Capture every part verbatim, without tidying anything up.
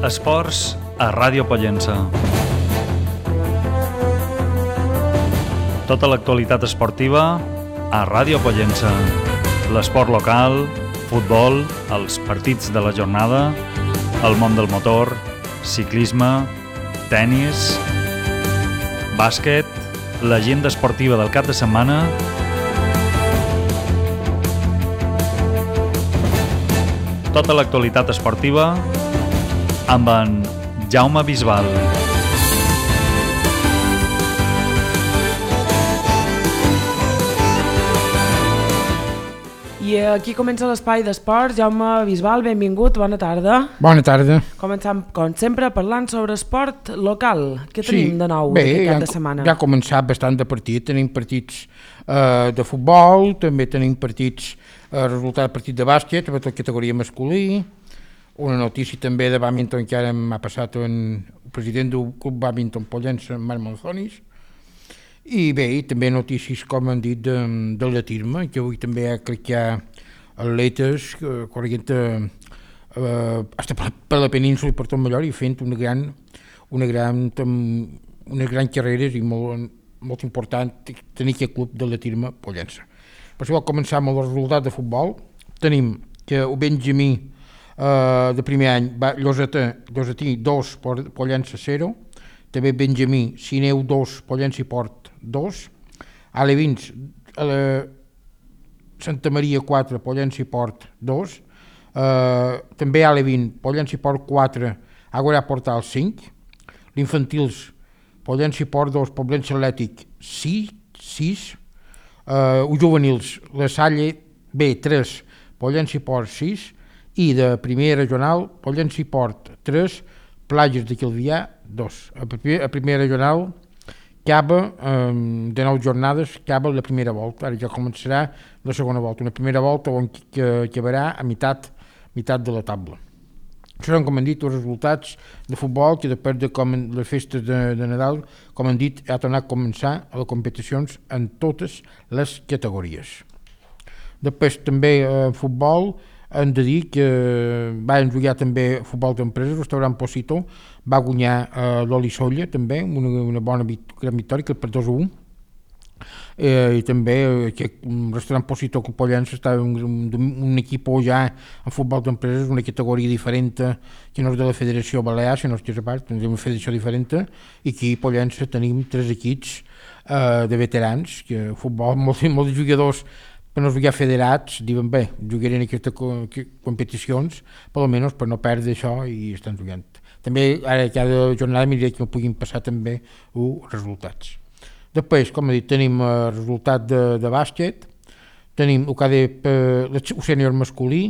Esports a Ràdio Pollença. Tota l'actualitat esportiva a Ràdio Pollença. L'esport local, futbol, els partits de la jornada, el món del motor, ciclisme, tennis, bàsquet, l'agenda esportiva del cap de setmana, tota l'actualitat esportiva amb en Jaume Bisbal. I aquí comença l'espai d'esports. Jaume Bisbal, benvingut, bona tarda. Bona tarda. Començam, com sempre, parlant sobre esport local. Què tenim sí, de nou bé, aquest cap ja, de setmana? Ja ha començat bastant de partit. Tenim partits eh, de futbol, també tenim partits, eh, resultat de partit de bàsquet, sobretot categoria masculí. Una notícia també de bàdminton que ara m'ha passat en el president del club bàdminton Pollença, Marc Monzonis. I bé, i també notícies, com han dit, de, de l'atisme, que avui també crec que hi ha atletes eh, corrent eh, hasta per, per la península i per tot Mallorca i fent una gran, una gran, unes grans carreres i molt, molt important tenir aquest club de l'atisme Pollença. Per això començar amb els resultats de futbol. Tenim que el Benjamí eh, de primer any va Llosetà, Llosetí dos, Pollença zero, també Benjamí, Sineu dos, Pollença i Port dos, Alevins, eh, Santa Maria quatre, Pollença i Port dos, eh, també Alevin, Pollença i Port quatre, Àgora Portal cinc, l'Infantils, Pollença i Port dos, Poblença Atlètic sis, eh, els Juvenils, la Salle B tres, Pollença i Port sis, i de primera regional, Pollença i Port tres, Plages de Calvià dos. A primera regional acaba eh, de nou jornades, acaba la primera volta, ara ja començarà la segona volta, una primera volta on que acabarà a meitat, meitat de la taula. Això són, com han dit, els resultats de futbol, que després de com, les festes de, de Nadal, com han dit, ha tornat a començar a les competicions en totes les categories. Després també en eh, futbol, hem de dir que van jugar també futbol d'empreses, el restaurant Posito va guanyar eh, l'Olisolla també, una, una bona gran victòria, que per dos a un. Eh, i també aquest restaurant Posito que Pollença està un, un, un equip ja en futbol d'empreses, una categoria diferent que no és de la Federació Balear, sinó que és a part, una federació diferent, i aquí a Pollença tenim tres equips eh, de veterans, que futbol, molts, molts jugadors per no jugar federats, diuen bé, jugarem en aquestes competicions, per almenys per no perdre això i estan jugant. També ara cada jornada miraré que no puguin passar també els resultats. Després, com he dit, tenim el resultat de, de bàsquet, tenim el que ha dit el sènior masculí,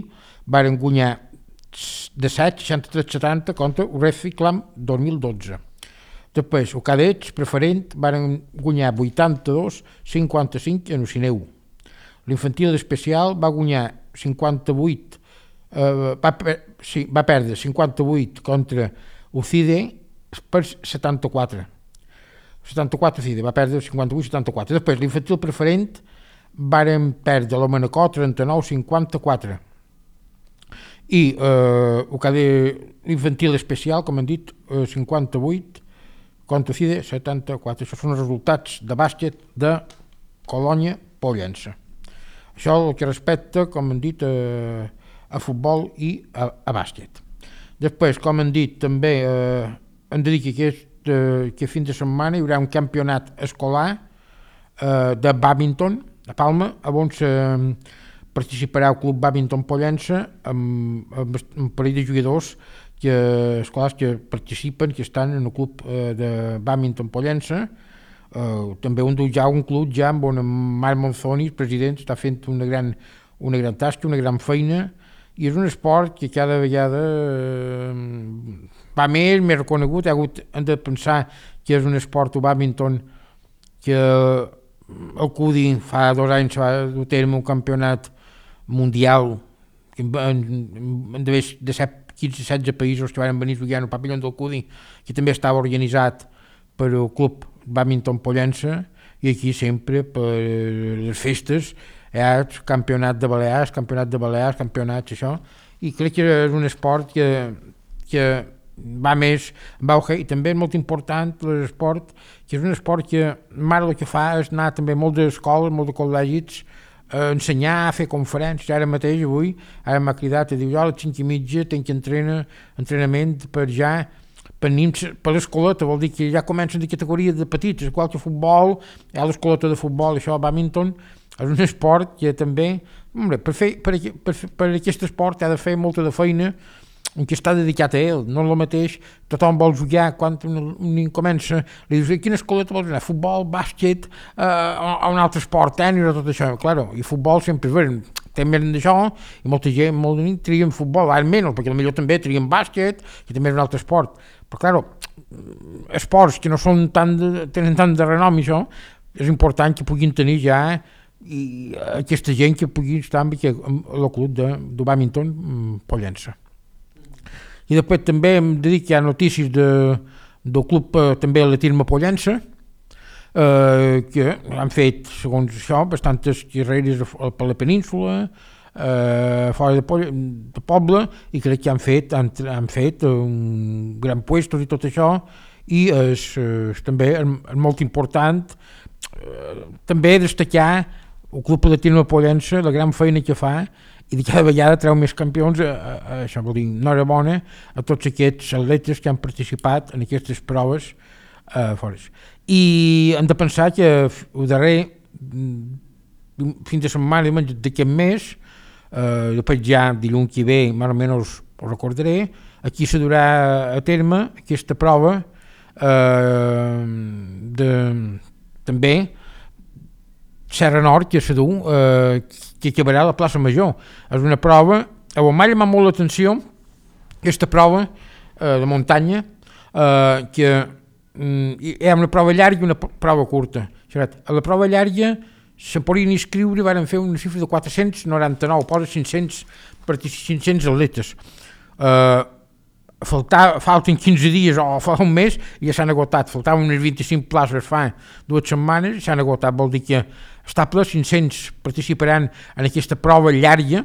varen guanyar de set, seixanta-tres setanta contra el Reciclam dos mil dotze. Després, el cadets preferent varen guanyar vuitanta-dos cinquanta-cinc en el Sineu. L'infantil especial va guanyar cinquanta-vuit, eh, va, sí, va perdre cinquanta-vuit contra Ucide per setanta-quatre. setanta-quatre Ucide, va perdre cinquanta-vuit setanta-quatre. Després l'infantil preferent varen perdre la Manacor trenta-nou cinquanta-quatre. I eh, el que l'infantil especial, com han dit, eh, cinquanta-vuit contra Ucide setanta-quatre. Això són els resultats de bàsquet de Colònia Pollença. Això el que respecta, com han dit, a, a futbol i a, a bàsquet. Després, com han dit, també eh, hem de dir que aquest, eh, que fin de setmana hi haurà un campionat escolar eh, de bàdminton a Palma, on eh, participarà el club bàdminton Pollença amb, amb un parell de jugadors que, escolars que participen, que estan en el club eh, de bàdminton Pollença. Uh, també un, ja un club ja amb on Marc Monzonis, president, està fent una gran, una gran tasca, una gran feina, i és un esport que cada vegada uh, va més, més reconegut. Ha hagut, hem de pensar que és un esport, el bàdminton, que el C U D I fa dos anys va dur a terme un campionat mundial que en, en de, de quinze setze països que van venir a jugar en el pavelló del C U D I, que també estava organitzat per el club bàdminton Pollença, i aquí sempre per les festes hi ha campionat de Balears, campionat de Balears, campionats, això, i crec que és un esport que, que va més va hockey, i també és molt important l'esport, que és un esport que mare el que fa és anar també a moltes escoles, molts de col·legis, a ensenyar, a fer conferències. Ara mateix, avui, ara m'ha cridat i diu, jo a les cinc i mitja tinc que entrenar, entrenament per ja per nins, per l'escoleta, vol dir que ja comencen de categoria de petits, igual que futbol, hi ha l'escoleta de futbol, això, bàdminton, és un esport que també, hombre, per, fer, per, per, per aquest esport ha de fer molta de feina en què està dedicat a ell, no és el mateix, tothom vol jugar, quan un, un nen comença, li dius, quina escoleta vols anar? Futbol, bàsquet, eh, o un altre esport, tenis o tot això, claro, i futbol sempre és també d'això, i molta gent, molt de nit, trien futbol, ara menys, perquè potser també trien bàsquet, que també és un altre esport, però claro, esports que no són tan de, tenen tant de renom i això, és important que puguin tenir ja i aquesta gent que pugui estar amb el club de, de bàdminton Pollença. I després també em dedico a notícies de, del club eh, també a la Tirma Pollença, eh, que han fet, segons això, bastantes carreres per la península, eh, fora de, Poble, de poble, i crec que han fet, han, han fet un gran puestos i tot això, i és, és també és, és molt important eh, també destacar el club de la Tirma Pollença, la gran feina que fa, i de cada vegada treu més campions, a, a, a, això vol dir, enhorabona a tots aquests atletes que han participat en aquestes proves eh, fora. I hem de pensar que el darrer fins de setmana d'aquest mes, eh, després ja dilluns que ve, més o menys ho recordaré, aquí se durà a terme aquesta prova eh, de, també Serra Nord, que se du, eh, que acabarà a la plaça Major. És una prova, a on m'ha llamat molt l'atenció, aquesta prova eh, de muntanya, eh, que mm, hi ha una prova llarga i una prova curta. A la prova llarga se podien inscriure, van fer una xifra de quatre-cents noranta-nou, posa cinc-cents, cinc-cents atletes. Eh, Faltar, falten quinze dies o fa un mes i ja s'han agotat, faltaven unes vint-i-cinc places fa dues setmanes i s'han agotat, vol dir que està ple, cinc-cents participaran en aquesta prova llarga,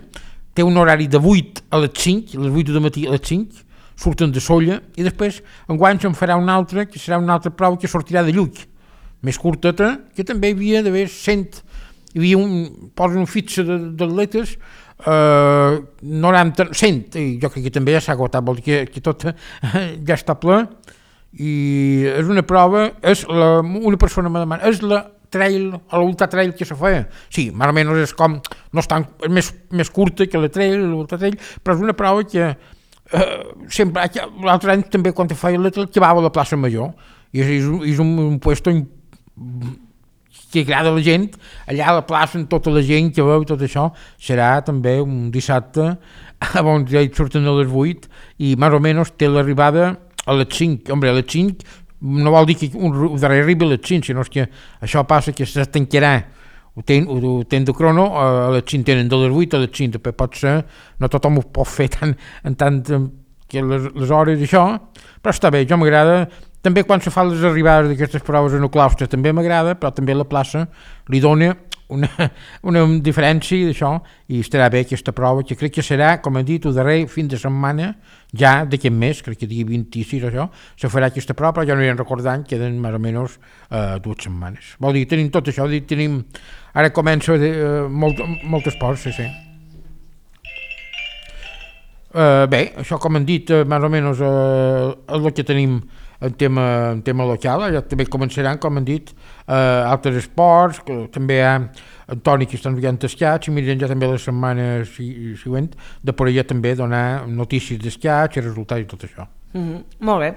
té un horari de vuit a les cinc, a les vuit del matí a les cinc, surten de Solla i després enguany se'n farà una altra, que serà una altra prova que sortirà de Lluc, més curteta, que també hi havia d'haver cent, hi havia un, posen un fitxa d'atletes, Uh, noranta, cent, i jo crec que també ja s'ha agotat, vol dir que, que tot uh, ja està ple, i és una prova, és la, una persona me demana, és la trail, l'ultra trail que se feia, sí, més o menys és com, no és, tan, és més, més curta que la trail, l'ultra trail, però és una prova que uh, sempre, l'altre any també quan feia l'altre, que va a la plaça Major, i és, és un, un puesto que agrada a la gent, allà a la plaça amb tota la gent que veu i tot això, serà també un dissabte on ja hi surten a les vuit i més o menys té l'arribada a les cinc, home, a les cinc no vol dir que un darrer arribi a les cinc, sinó que això passa que se tancarà, ho ten, ho ten de crono, a les cinc tenen de les vuit a les cinc, però pot ser, no tothom ho pot fer tant, en tant que les, les hores i això, però està bé, jo m'agrada. També quan se fa les arribades d'aquestes proves en el claustre també m'agrada, però també la plaça li dona una, una diferència d'això i estarà bé aquesta prova, que crec que serà, com he dit, el darrer fin de setmana, ja d'aquest mes, crec que dia vint-i-sis o això, se farà aquesta prova, però ja no hi ha recordant, queden més o menys uh, dues setmanes. Vol dir, tenim tot això, dir, tenim, ara comença uh, molt, molt esport, sí, sí. Uh, bé, això com hem dit, uh, més o menys uh, és el que tenim en tema, en tema local, ja també començaran, com han dit, eh, altres esports, que també hi ha Antoni que estan jugant escaig, i miren ja també la setmana següent, de per allà també donar notícies d'escaig i resultats i tot això. Mm-hmm. Molt bé.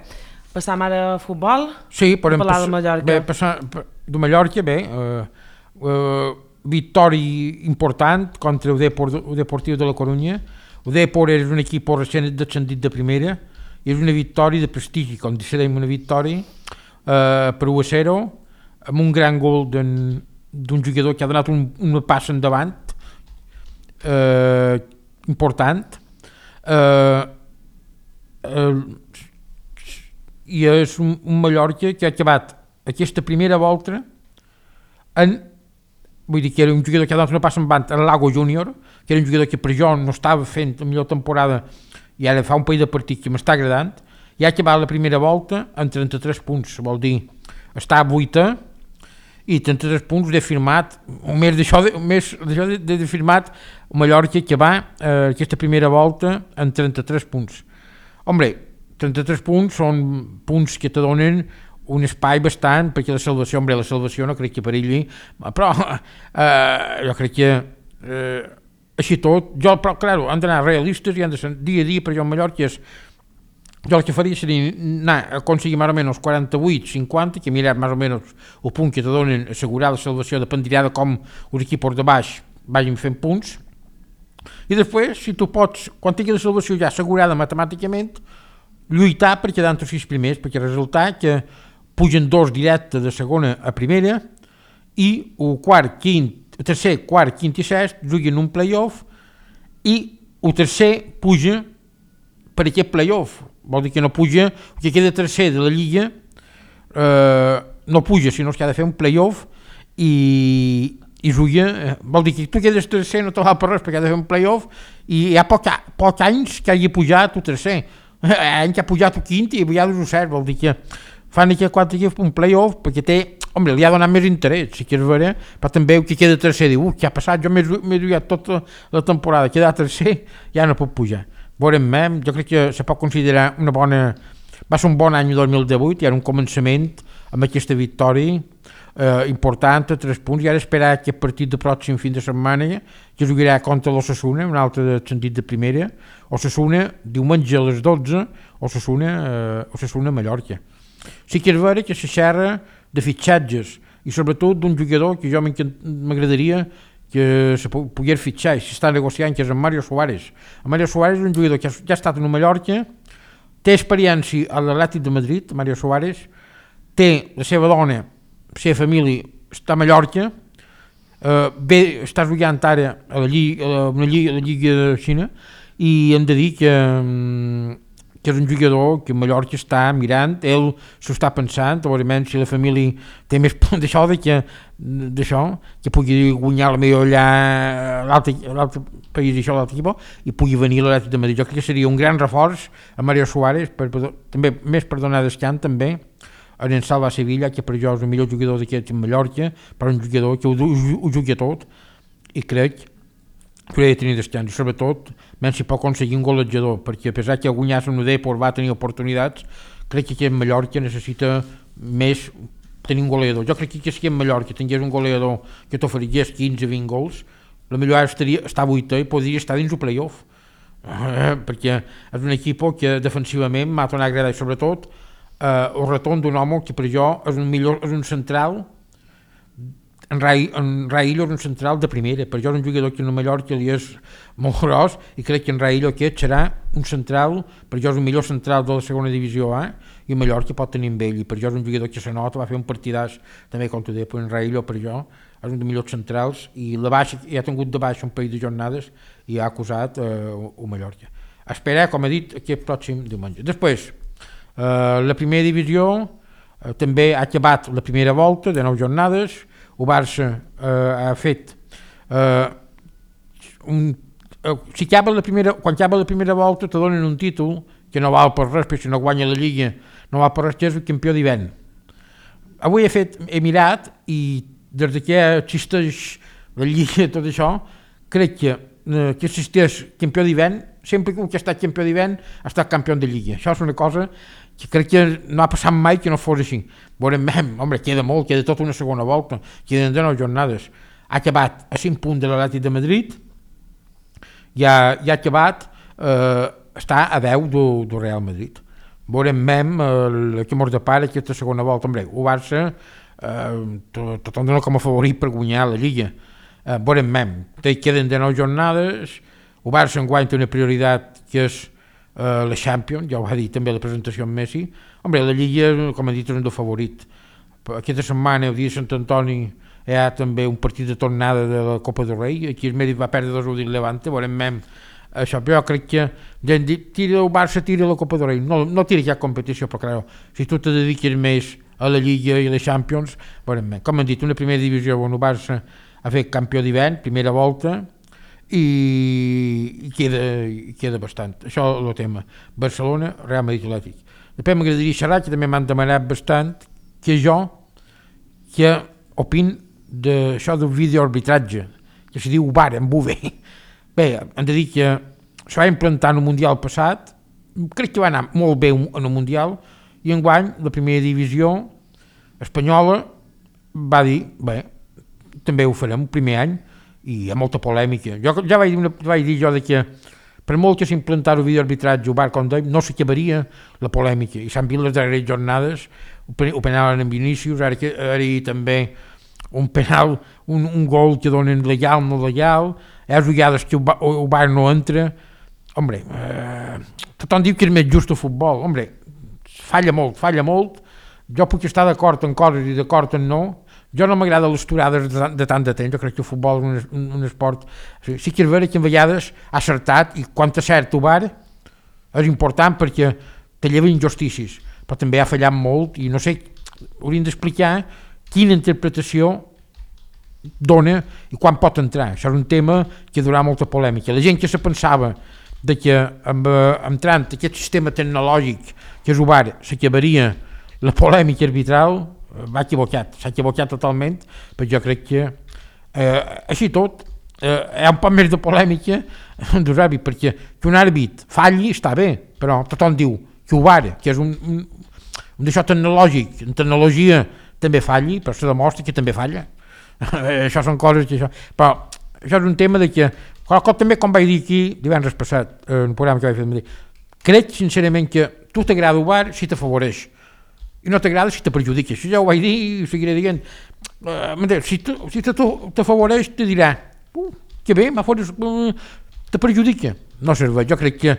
Passam ara a futbol? Sí, podem parlar de Mallorca. Bé, passar, de Mallorca, bé, eh, eh, victòria important contra el Depor, el Deportiu de la Corunya. El Depor és un equip recent descendit de primera, i és una victòria de prestigi, com decidem una victòria eh, per u a zero, amb un gran gol d'un jugador que ha donat un, una passa endavant eh, important, eh, eh, i és un, un Mallorca que ha acabat aquesta primera volta en, vull dir que era un jugador que ha donat una passa endavant en Lago Júnior, que era un jugador que per jo no estava fent la millor temporada i ara fa un parell de partit que m'està agradant, i ha acabat la primera volta amb trenta-tres punts, vol dir, està a vuitè, i trenta-tres punts de firmat, un més d'això de, més d'això de, de firmat Mallorca que va eh, aquesta primera volta amb trenta-tres punts. Hombre, trenta-tres punts són punts que te donen un espai bastant perquè la salvació, hombre, la salvació no crec que perilli, però eh, jo crec que eh, així tot, jo, però clar, han d'anar realistes i han de ser dia a dia, per jo Mallorca és jo el que faria seria anar a aconseguir més o menys quaranta-vuit cinquanta, que mirar més o menys el punt que te donen assegurar la salvació, dependrà de com els equips de baix vagin fent punts, i després, si tu pots, quan tingui la salvació ja assegurada matemàticament, lluitar per quedar entre els sis primers, perquè resulta que pugen dos directes de segona a primera i el quart, quint, el tercer, quart, quint i sest juguen un play-off i el tercer puja per aquest play-off. Vol dir que no puja, que queda tercer de la Lliga, eh, no puja, sinó que ha de fer un play-off i, i juga, eh, vol dir que tu quedes tercer, no te val per res, perquè ha de fer un play-off i hi ha poc, poc anys que hagi pujat el tercer, any que ha pujat el quint i ja el set, vol dir que fan aquí quatre equips un play-off perquè té, home, li ha donat més interès, si quieres veure, però també el que queda tercer diu, què ha passat, jo m'he jugat tota la temporada, queda tercer, ja no puc pujar. Veurem, jo crec que se pot considerar una bona, va ser un bon any dos mil divuit, i era un començament amb aquesta victòria eh, important a tres punts, i ara esperar aquest partit de pròxim fin de setmana que jugarà contra l'Osasuna, un altre de sentit de primera, Osasuna diumenge a les dotze, Osasuna, eh, Osasuna Mallorca. Sí que és vera que se xerra de fitxatges i sobretot d'un jugador que jo m'agradaria que se pogués fitxar, si està negociant, que és en Mario Suárez. En Mario Suárez és un jugador que ja ha estat en Mallorca, té experiència a l'Atlètic de Madrid, Mario Suárez, té la seva dona, la seva família, està a Mallorca, eh, bé, està jugant ara a la Lliga, a una Lliga, a la Lliga de Xina, i hem de dir que, que és un jugador que Mallorca està mirant, ell s'ho està pensant, obviament si la família té més por d'això, de que, d'això, que pugui guanyar la millor allà a l'altre país, això, l'altre equip, i pugui venir a l'Atlètic de Madrid. Jo crec que seria un gran reforç a Mario Suárez, per, per, també més per donar descans també a en Salva Sevilla, que per jo és el millor jugador d'aquest en Mallorca, però un jugador que ho, ho, ho jugui tot, i crec que hauria de tenir descans, sobretot menys si pot aconseguir un golejador, perquè a pesar que guanyar un Depor va tenir oportunitats, crec que aquí en Mallorca necessita més tenir un goleador. Jo crec que si en Mallorca tingués un goleador que t'oferigués quinze vint gols, la millor estaria estar a vuitè i podria estar dins el play-off, eh, perquè és un equip que defensivament m'ha tornat a agradar, i sobretot eh, el retorn d'un home que per jo és un, millor, és un central. En Rai, en Raillo és un central de primera, per jo és un jugador que en Mallorca li és molt gros, i crec que en Raillo aquest serà un central, per jo és un millor central de la segona divisió A, i en Mallorca pot tenir amb ell, i per jo és un jugador que se nota, va fer un partidàs també contra Depor. En Raillo per jo és un dels millors centrals, i la baixa, ja ha tingut de baixa un parell de jornades i ha acusat eh, el Mallorca. Esperar, com he dit, aquest pròxim diumenge. Després, eh, la primera divisió eh, també ha acabat la primera volta de nou jornades. El Barça eh, ha fet eh, un, eh, si acaba la primera, quan acaba la primera volta te donen un títol que no val per res, perquè si no guanya la Lliga no val per res, que és el campió d'hivern. Avui he fet, he mirat, i des que existeix la Lliga i tot això, crec que eh, que existeix campió d'hivern, sempre que ha estat campió d'hivern ha estat campió de Lliga. Això és una cosa que crec que no ha passat mai que no fos així. Veurem, home, queda molt, queda tota una segona volta, queden de nou jornades. Ha acabat a cinc punts de l'Atlètic de Madrid, ja, ja ha acabat, eh, està a deu del, del Real Madrid. Veurem, eh, que mos depara aquesta segona volta. Hombre, el Barça eh, tothom dona com a favorit per guanyar la Lliga. Eh, veurem, queden de nou jornades, el Barça enguany té una prioritat que és Uh, la Champions, ja ho va dir també la presentació amb Messi. Hombre, la Lliga, com he dit, és un del favorit. Aquesta setmana, el dia de Sant Antoni, hi ha també un partit de tornada de la Copa del Rei. Aquí el Mèrit va perdre dos u del Levante, veurem mem això, però jo crec que ja hem dit, tira el Barça, tira la Copa del Rei, no, no tira ja competició, però clar, si tu te dediques més a la Lliga i a la Champions, veurem mem. Com hem dit, una primera divisió on el Barça ha fet campió d'hivern, primera volta, i queda, queda bastant. Això és el tema. Barcelona, Real Madrid, Atlètic. Després m'agradaria xerrar, que també m'han demanat bastant, que jo, que opin d'això del videoarbitratge, que se diu V A R, en V U V. Bé, hem de dir que se va implantar en el Mundial passat, crec que va anar molt bé en el Mundial, i enguany la primera divisió espanyola va dir, bé, també ho farem el primer any, i hi ha molta polèmica. Jo ja vaig dir, una, vaig dir jo de que per molt que s'implantar el videoarbitratge, el V A R, com deim, no s'acabaria la polèmica, i s'han vist les darreres jornades, ho penalen en Vinícius, ara, que, ara hi també un penal, un, un gol que donen legal, no legal, hi ha jugades que el V A R no entra. Hombre, eh, tothom diu que és més just el futbol. Hombre, falla molt, falla molt. Jo puc estar d'acord en coses i d'acord en no. Jo no m'agrada les turades de, de tant de temps. Jo crec que el futbol és un, un esport... Sí, sí que és vera que en vegades ha acertat, i quan t'acert el V A R és important perquè te lleva injustícies, però també ha fallat molt i no sé, hauríem d'explicar quina interpretació dona i quan pot entrar. Això és un tema que durà molta polèmica. La gent que se pensava de que amb, entrant aquest sistema tecnològic que és el V A R s'acabaria la polèmica arbitral, va equivocat, s'ha equivocat totalment, però jo crec que eh, així tot eh, hi ha un poc més de polèmica dels àrbits, perquè que un àrbit falli està bé, però tothom diu que el V A R, que és un, un, un d'això tecnològic, en tecnologia també falli, però se demostra que també falla. Això són coses que això... Però això és un tema de que, com també com vaig dir aquí divendres passat, en el programa que vaig fer de Madrid, crec sincerament que tu t'agrada el V A R si t'afavoreix, i no t'agrada si te perjudica. Això ja ho vaig dir i ho seguiré dient. Uh, si si t'afavoreix te dirà uh, que bé, uh, te perjudica. No serveix. Jo crec que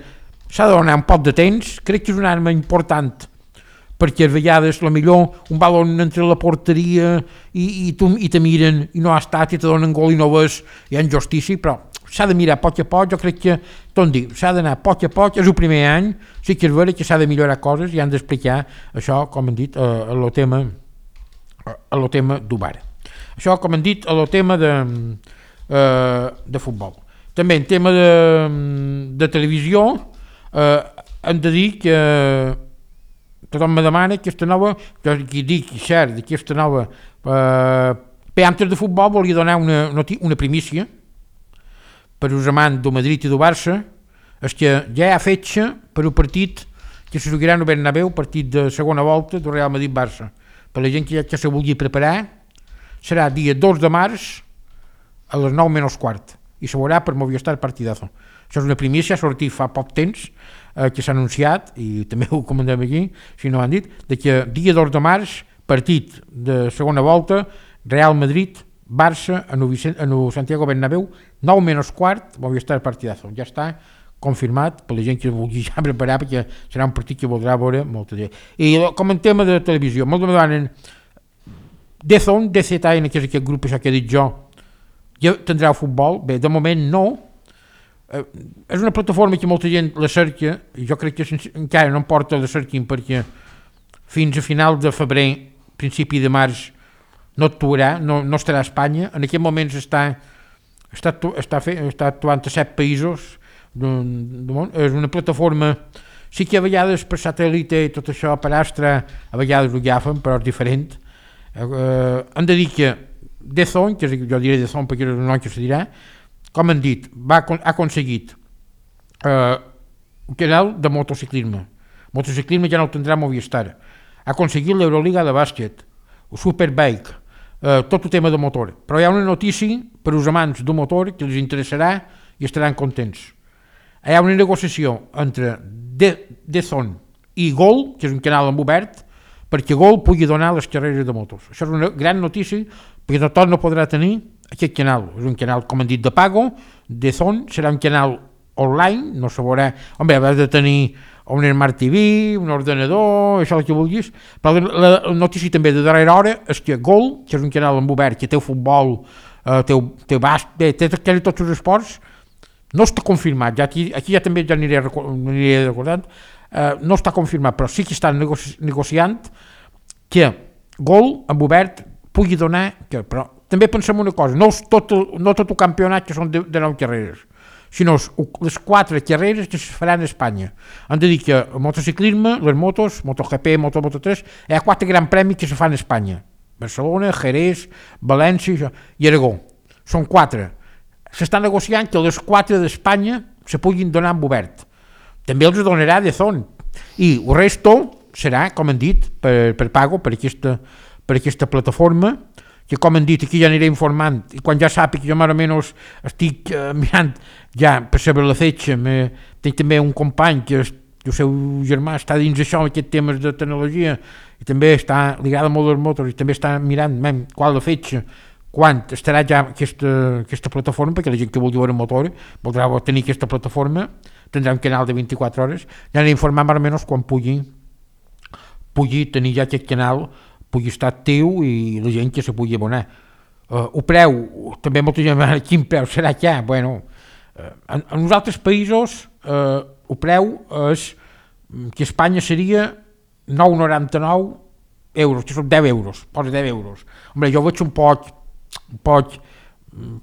s'ha de donar un poc de temps, crec que és una arma important, perquè a vegades la millor un balon entre la porteria i, i, tu, i te miren i no ha estat i te donen gol i no ves, hi ha injustícia, però s'ha de mirar a poc a poc. Jo crec que tot dic, s'ha d'anar a poc a poc, és el primer any, sí que és vera que s'ha de millorar coses i han d'explicar això, com hem dit, a lo tema a lo tema d'U B A R. Això, com hem dit, a lo tema de, uh, de futbol. També en tema de, de televisió, uh, hem de dir que tothom me demana aquesta nova, jo aquí dic, cert, d'aquesta nova uh, peantes de futbol volia donar una, una primícia per als amants del Madrid i del Barça, és que ja hi ha fetge per al partit que se jugarà al Bernabéu, partit de segona volta del Real Madrid-Barça. Per la gent que ja que se vulgui preparar, serà dia dos de març a les nou menys quart i se veurà per Movistar Partidazo. Això és una primícia, ha sortit fa poc temps, eh, que s'ha anunciat, i també ho comentem aquí, si no ho han dit, de que dia dos de març, partit de segona volta, Real Madrid, Barça, en el Santiago Bernabéu, nou menys quart, Movistar Partidazo. Ja està confirmat per la gent que vulgui ja preparar, perquè serà un partit que voldrà veure molta gent. I com en tema de televisió, molt de demanen D Z N, D Z N, que és aquest grup això que he dit jo, ja tindrà futbol. Bé, de moment no. Eh, és una plataforma que molta gent la cerca, i jo crec que sense, encara no em porta la cerquin, perquè fins a final de febrer, principi de març, no actuarà, no, no estarà a Espanya. En aquest moment està, està, està, fe, està actuant a set països del, del món. És una plataforma, sí que a vegades per satèl·lite i tot això, per Astra, a vegades ho agafen, però és diferent. Eh, han de dir que D Z N, que jo diré D Z N perquè és el nom que se dirà, com han dit, va, ha aconseguit eh, un canal de motociclisme. Motociclisme ja no el tindrà Movistar. Ha aconseguit l'Euroliga de bàsquet, el Superbike, eh, tot el tema de motor. Però hi ha una notícia per als amants del motor que els interessarà i estaran contents. Hi ha una negociació entre D Z N i Gol, que és un canal en obert, perquè Gol pugui donar les carreres de motos. Això és una gran notícia, perquè tothom no podrà tenir aquest canal. És un canal, com han dit, de pago. D Z N serà un canal online, no se veurà... Home, has de tenir un Smart T V, un ordenador, això el que vulguis, però la, la notícia també de darrera hora és que Gol, que és un canal en obert, que té futbol, eh, té, té bast, té, té, té tots els esports, no està confirmat, ja aquí, aquí ja també ja aniré, aniré recordant, eh, no està confirmat, però sí que estan negoci, negociant que Gol en obert pugui donar, que, però també pensem una cosa, no tot el, no tot el campionat que són de, de nou carreres, sinó les quatre carreres que es faran a Espanya. Han de dir que el motociclisme, les motos, MotoGP, Moto Moto tres, hi ha quatre grans premis que se fan a Espanya. Barcelona, Jerez, València i Aragó. Són quatre. S'està negociant que les quatre d'Espanya se puguin donar en obert. També els donarà de zon. I el resto serà, com han dit, per, per pago, per aquesta, per aquesta plataforma, que com han dit aquí ja aniré informant, i quan ja sàpic jo més o menys estic uh, mirant ja per saber la fetge, me, tinc també un company que és, el seu germà està dins això, aquests temes de tecnologia, i també està, li agrada molt els motors, i també està mirant mem, qual la fetge, quan estarà ja aquesta, aquesta plataforma, perquè la gent que vulgui veure motor voldrà tenir aquesta plataforma, tindrà un canal de vint-i-quatre hores, ja aniré informant més o menys quan pugui, pugui tenir ja aquest canal, pugui estar actiu i la gent que se pugui abonar. Uh, el preu, també molta gent va dir, quin preu serà ja? Bueno, uh, en, en els altres països uh, el preu és que a Espanya seria nou coma noranta-nou euros, que són deu euros, posa deu euros. Hombre, jo veig un poc, un poc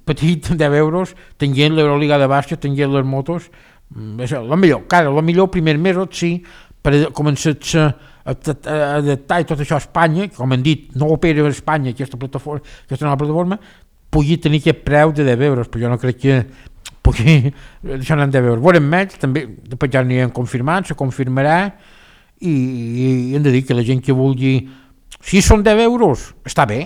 petit, deu euros, tenint l'Euroliga de bàsquet, tenint les motos, és el millor, clar, el millor primer mesos sí, per començar a adaptar i tot això a Espanya, com han dit, no opera a Espanya aquesta plataforma, aquesta nova plataforma, pugui tenir aquest preu de deu euros, però jo no crec que pugui deixar en deu euros. Veurem més, també, després ja anirem confirmant, se confirmarà, i, i hem de dir que la gent que vulgui, si són deu euros, està bé,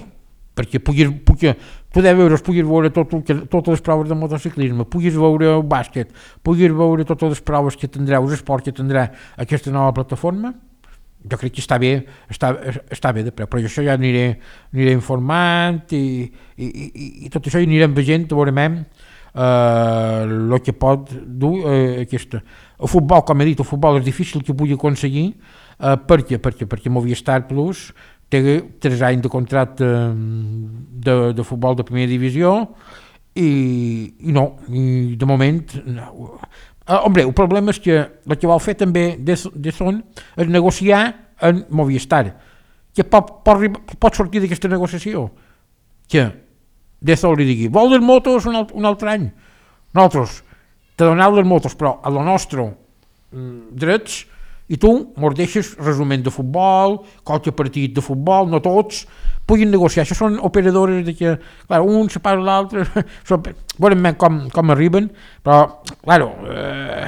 perquè puguis, pugui, tu deu euros puguis veure tot, totes les proves de motociclisme, puguis veure el bàsquet, puguis veure totes les proves que tindrà, els esports que tindrà aquesta nova plataforma, jo crec que està bé, està, està bé de preu, però això ja aniré, aniré informant i, i, i, i tot això anirem veient, veurem el uh, que pot dur uh, aquesta. El futbol, com he dit, el futbol és difícil que pugui aconseguir, uh, perquè, perquè, perquè Movistar Plus té tres anys de contracte de, de futbol de primera divisió i, i no, i de moment no. Uh, hombre, el problema és que el que vol fer també de, de son és negociar en Movistar, que pot, pot, pot sortir d'aquesta negociació, que de son li digui, vol les motos un, alt, un altre any, nosaltres te doneu les motos però a la nostra mm, drets, i tu mos deixes resument de futbol, qualque partit de futbol, no tots, puguin negociar. Això són operadores de que, clar, un se parla l'altre, veurem com, com arriben, però, clar, eh,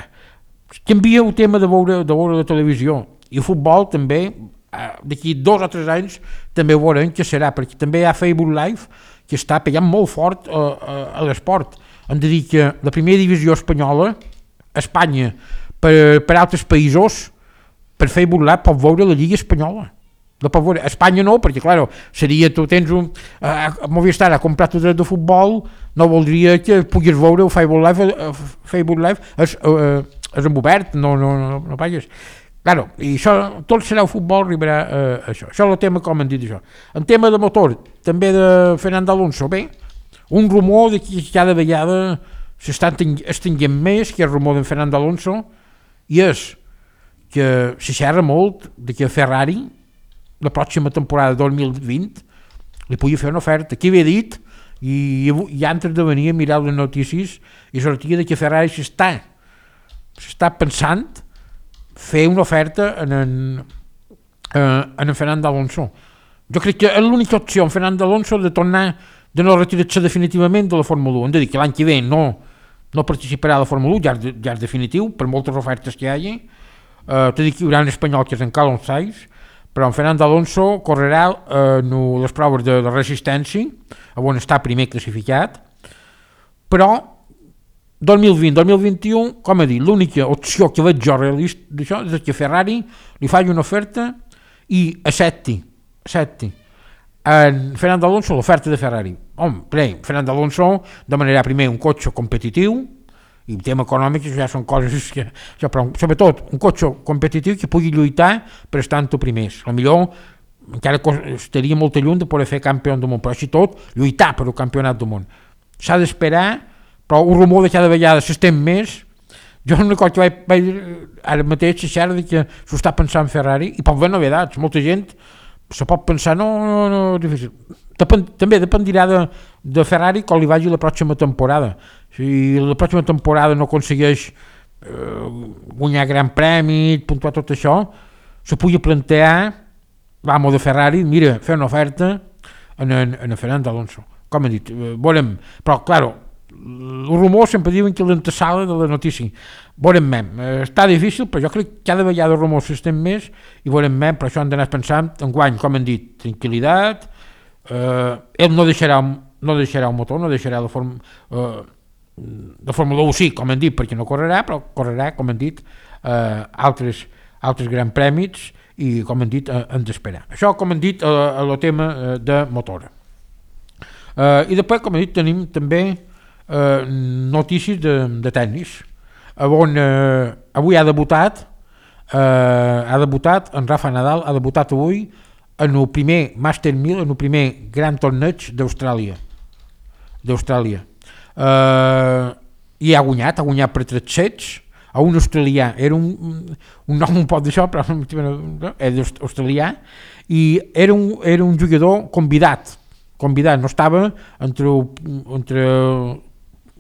canvia el tema de veure, de veure la televisió, i el futbol també, eh, d'aquí dos o tres anys, també veurem què serà, perquè també hi ha Facebook Live, que està pegant molt fort eh, a, a l'esport. Hem de dir que la primera divisió espanyola, Espanya, per, per altres països, per Facebook Live pot veure la Lliga Espanyola. No pot veure. Espanya no, perquè, clar, seria, tu tens un... Uh, Movistar ha comprat el dret de futbol, no voldria que puguis veure el Facebook Live, uh, Facebook Live és, uh, és en obert, no, no, no, no pagues. Claro, i això, tot serà el futbol, arribarà a uh, això. Això és el tema, com han dit això. En tema de motor, també de Fernando Alonso, bé, un rumor de que cada vegada s'està estenguent més, que és el rumor de Fernando Alonso, i és que se xerra molt de que Ferrari la pròxima temporada dos mil vint li pugui fer una oferta. Qui havia dit, i, i antes de venir a mirar les notícies, i sortia de que Ferrari s'està s'està pensant fer una oferta en en, en, en Fernando Alonso. Jo crec que és l'única opció en Fernando Alonso de tornar, de no retirar-se definitivament de la Fórmula un. Hem de dir que l'any que ve no, no participarà a la Fórmula un, ja és, ja és definitiu, per moltes ofertes que hi hagi. Uh, t'he dit que hi haurà un espanyol que és en Carlos Sainz, però en Fernando Alonso correrà uh, no, les proves de, de resistència, on està primer classificat, però dos mil vint dos mil vint-i-u, com he dit, l'única opció que veig jo realista d'això és que Ferrari li faci una oferta i accepti, accepti en Fernando Alonso l'oferta de Ferrari. Home, primer, Fernando Alonso demanarà primer un cotxe competitiu, i el tema econòmic ja són coses que, ja, però sobretot un cotxe competitiu que pugui lluitar per estar en tu primers. A millor encara estaria molt lluny de poder fer campió del món, però així tot lluitar per el campionat del món. S'ha d'esperar, però un rumor de cada vegada s'estén més. Jo una cosa que vaig, vaig ara mateix se xerra de que s'ho està pensant Ferrari, i pot haver novedats, molta gent se pot pensar, no, no, no, difícil. Depèn, també dependirà de, de Ferrari com li vagi la pròxima temporada. si la pròxima temporada no aconsegueix eh, guanyar gran premi, puntuar tot això, se pugui plantear, vamos de Ferrari, mira, fer una oferta en, en, en Fernando Alonso. Com he dit, eh, volem, però, claro, els rumors sempre diuen que l'antesala de la notícia. Volem mem, eh, està difícil, però jo crec que cada vegada els rumors s'estem més i volem mem, però això han d'anar pensant en guany, com hem dit, tranquil·litat, eh, ell no deixarà, no deixarà el motor, no deixarà la forma... Eh, de Fórmula u sí, com hem dit, perquè no correrà, però correrà, com hem dit, eh, altres, altres grans prèmits i, com hem dit, eh, hem d'esperar. Això, com hem dit, eh, el tema eh, de motor. Eh, I després, com he dit, tenim també eh, notícies de, de tennis, on eh, avui ha debutat, eh, ha debutat, en Rafa Nadal ha debutat avui en el primer Master mil, en el primer gran torneig d'Austràlia. d'Austràlia. Uh, i ha guanyat, ha guanyat per tres sets a un australià, era un, un nom un poc d'això, però era australià, i era un, era un jugador convidat, convidat, no estava entre, entre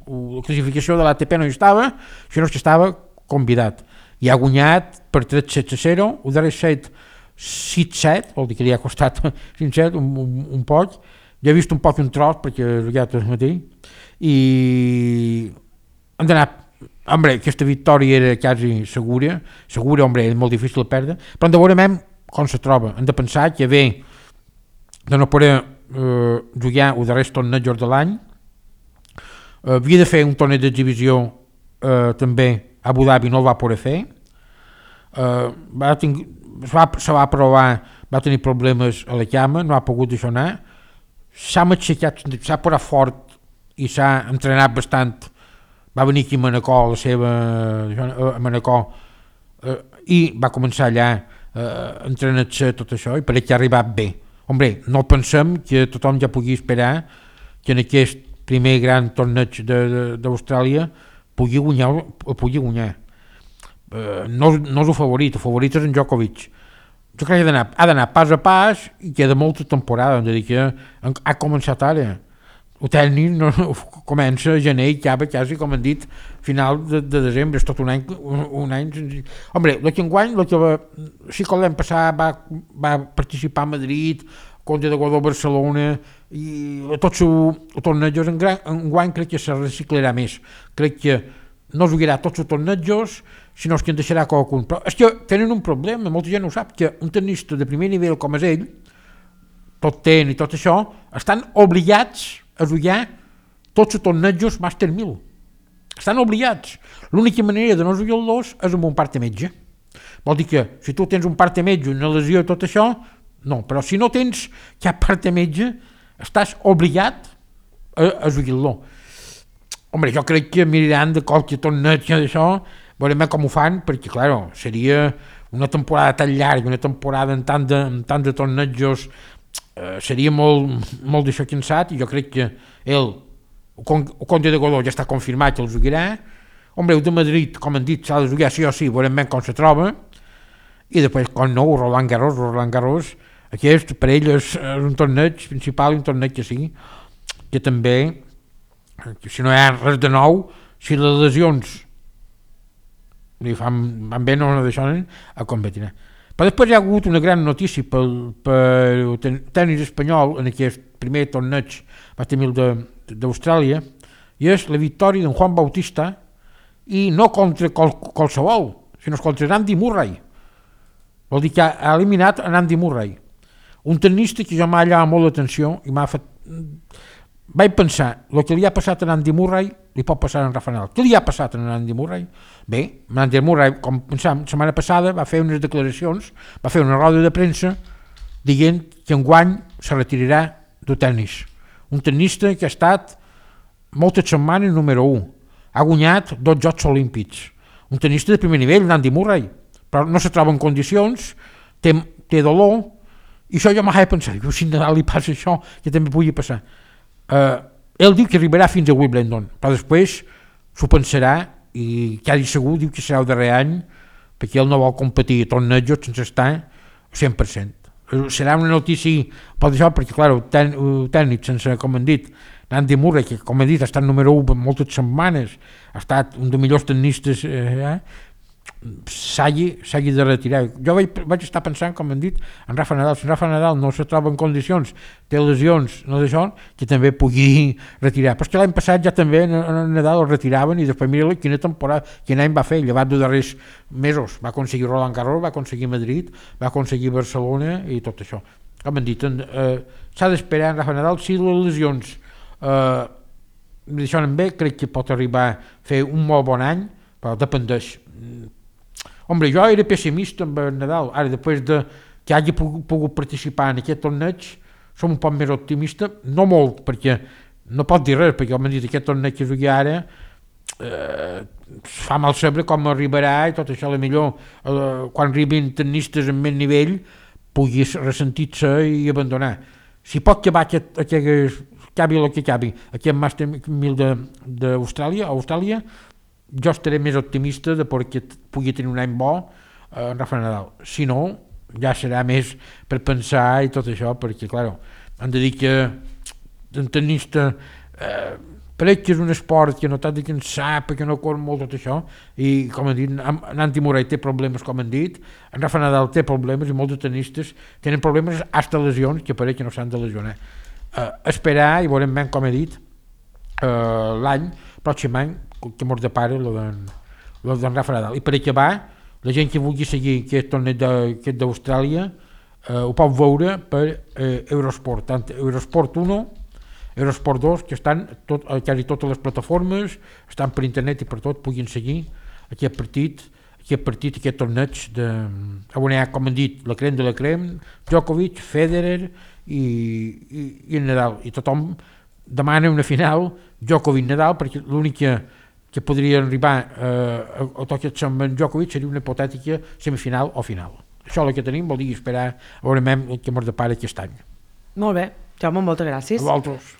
la classificació de l'A T P, no hi estava, sinó que estava convidat, i ha guanyat per tres sets a zero, el darrer set sis set, vol dir que li ha costat cinc set, un, un, un poc, ja he vist un poc un tros perquè he jugat el matí, i hem d'anar, hombre, aquesta victòria era quasi segura, segura, hombre, és molt difícil de perdre, però hem de veure com se troba, hem de pensar que ve de no poder eh, jugar els darrers tornejos de l'any, eh, havia de fer un torneig d'exhibició eh, també a Abu Dhabi, no el va poder fer, eh, va ting- se, va, se va provar, va tenir problemes a la cama, no ha pogut deixar anar, s'ha aixecat, s'ha posat fort i s'ha entrenat bastant, va venir aquí a Manacor, a la seva, a Manacor, eh, i va començar allà eh, entrenant-se tot això, i pareix que ha arribat bé. Hombre, no pensem que tothom ja pugui esperar que en aquest primer gran torneig d'Austràlia pugui guanyar, pugui guanyar. Eh, no, no és el favorit, el favorit és en Djokovic. Jo crec que ha d'anar, ha d'anar pas a pas i queda molta temporada, hem de dir que ha començat ara. El tècnic no, comença a gener i acaba quasi, com han dit, final de, de desembre, és tot un any, un, un any senzill. Hombre, el que enguany, el que va, sí que l'any passat va, va participar a Madrid, contra de Godó Barcelona, i tots els tornejos, enguany crec que se reciclarà més. Crec que no es jugarà tots els tornejos, sinó que en deixarà qualcun. Però és que tenen un problema, molta gent ho sap, que un tennista de primer nivell com és ell, tot ten i tot això, estan obligats a jugar tots els tornejos Master mil. Estan obligats. L'única manera de no jugar-los és amb un part de metge. Vol dir que si tu tens un part de metge, una lesió i tot això, no, però si no tens cap part de metge, estàs obligat a, a jugar-lo. Hombre, jo crec que miraran de qualque torneig d'això, veurem com ho fan, perquè, clar, seria una temporada tan llarga, una temporada en tant de, en tant de tornejos, eh, seria molt, molt d'això cansat, i jo crec que ell, el Conde de Godó ja està confirmat que el jugarà. Hombre, el de Madrid, com han dit, s'ha de jugar sí o sí, veurem ben com se troba, i després, com no, Roland Garros, Roland Garros, aquest per ell és, és un torneig principal, un torneig que sí, que també, que si no hi ha res de nou, si les lesions li fan, van bé, no deixen a competir. Però després hi ha hagut una gran notícia pel, pel tenis espanyol en aquest primer torneig Master mil d'Austràlia, i és la victòria d'en Juan Bautista, i no contra qual, qualsevol, sinó contra Andy Murray. Vol dir que ha eliminat en Andy Murray, un tenista que jo m'ha llamat molt l'atenció i m'ha fet... Vaig pensar, el que li ha passat a Andy Murray li pot passar a en Rafa Nadal. Què li ha passat a Andy Murray? Bé, Andy Murray, com pensàvem, la setmana passada va fer unes declaracions, va fer una roda de premsa dient que enguany se retirarà del tennis. Un tennista que ha estat moltes setmanes número u, ha guanyat dos Jocs Olímpics, un tennista de primer nivell, Andy Murray, però no se troba en condicions, té, té dolor, i això jo m'ha de pensar, que si a Nadal li passa això, que també pugui passar. Uh, ell diu que arribarà fins a Wimbledon, però després s'ho pensarà i quasi segur diu que serà el darrer any, perquè ell no vol competir a tornejos sense estar cent per cent. serà una notícia per això, perquè clar, el, ten, el tècnic sense, com hem dit, Andy Murray, que com he dit ha estat número u per moltes setmanes, ha estat un dels millors tennistes, eh, s'hagi, s'hagi de retirar. Jo vaig, vaig estar pensant, com hem dit, en Rafa Nadal. Si Rafa Nadal no se troba en condicions, té lesions, no d'això, que també pugui retirar. Però és que l'any passat ja també en, en Nadal el retiraven i després mira quina temporada, quin any va fer, llevat de darrers mesos. Va aconseguir Roland Garros, va aconseguir Madrid, va aconseguir Barcelona i tot això. Com hem dit, eh, s'ha d'esperar en Rafa Nadal. Si les lesions eh, deixen bé, crec que pot arribar a fer un molt bon any, però dependeix. Hombre, jo era pessimista amb el Nadal, ara després de que hagi pogut, pogut participar en aquest torneig som un poc més optimista, no molt, perquè no pot dir res, perquè m'han dit aquest torneig que jugui ara eh, fa mal saber com arribarà i tot això, a millor eh, quan arribin tennistes amb més nivell pugui ressentir-se i abandonar. Si pot acabar aquest, aquest acabi el que acabi, aquest Master mil d'Austràlia, Austràlia, jo estaré més optimista de perquè pugui tenir un any bo eh, en Rafa Nadal. Si no, ja serà més per pensar i tot això, perquè, clar, han de dir que un tennista eh, crec que és un esport que no t'ha de cansar, perquè no corre molt tot això, i com han dit, en Andy Murray té problemes, com han dit, en Rafa Nadal té problemes, i molts de tennistes tenen problemes, hasta lesions, que pareix que no s'han de lesionar. Eh, esperar, i veurem ben, com he dit, eh, l'any, pròxim any, que mos depara lo d'en Rafa Nadal. I per acabar, la gent que vulgui seguir aquest torneig d'Austràlia eh, ho pot veure per eh, Eurosport, tant Eurosport un, Eurosport dos, que estan tot, quasi totes les plataformes, estan per internet i per tot, puguin seguir aquest partit, aquest partit, aquest torneig de, on hi ha, com han dit, la crem de la crem, Djokovic, Federer i, i, i Nadal, i tothom demana una final Djokovic-Nadal, perquè l'únic que que podria arribar eh, a tocar amb en Djokovic seria una hipotètica semifinal o final. Això és el que tenim, vol dir esperar a veure què ens depara aquest any. Molt bé, Jaume, moltes gràcies. A vosaltres.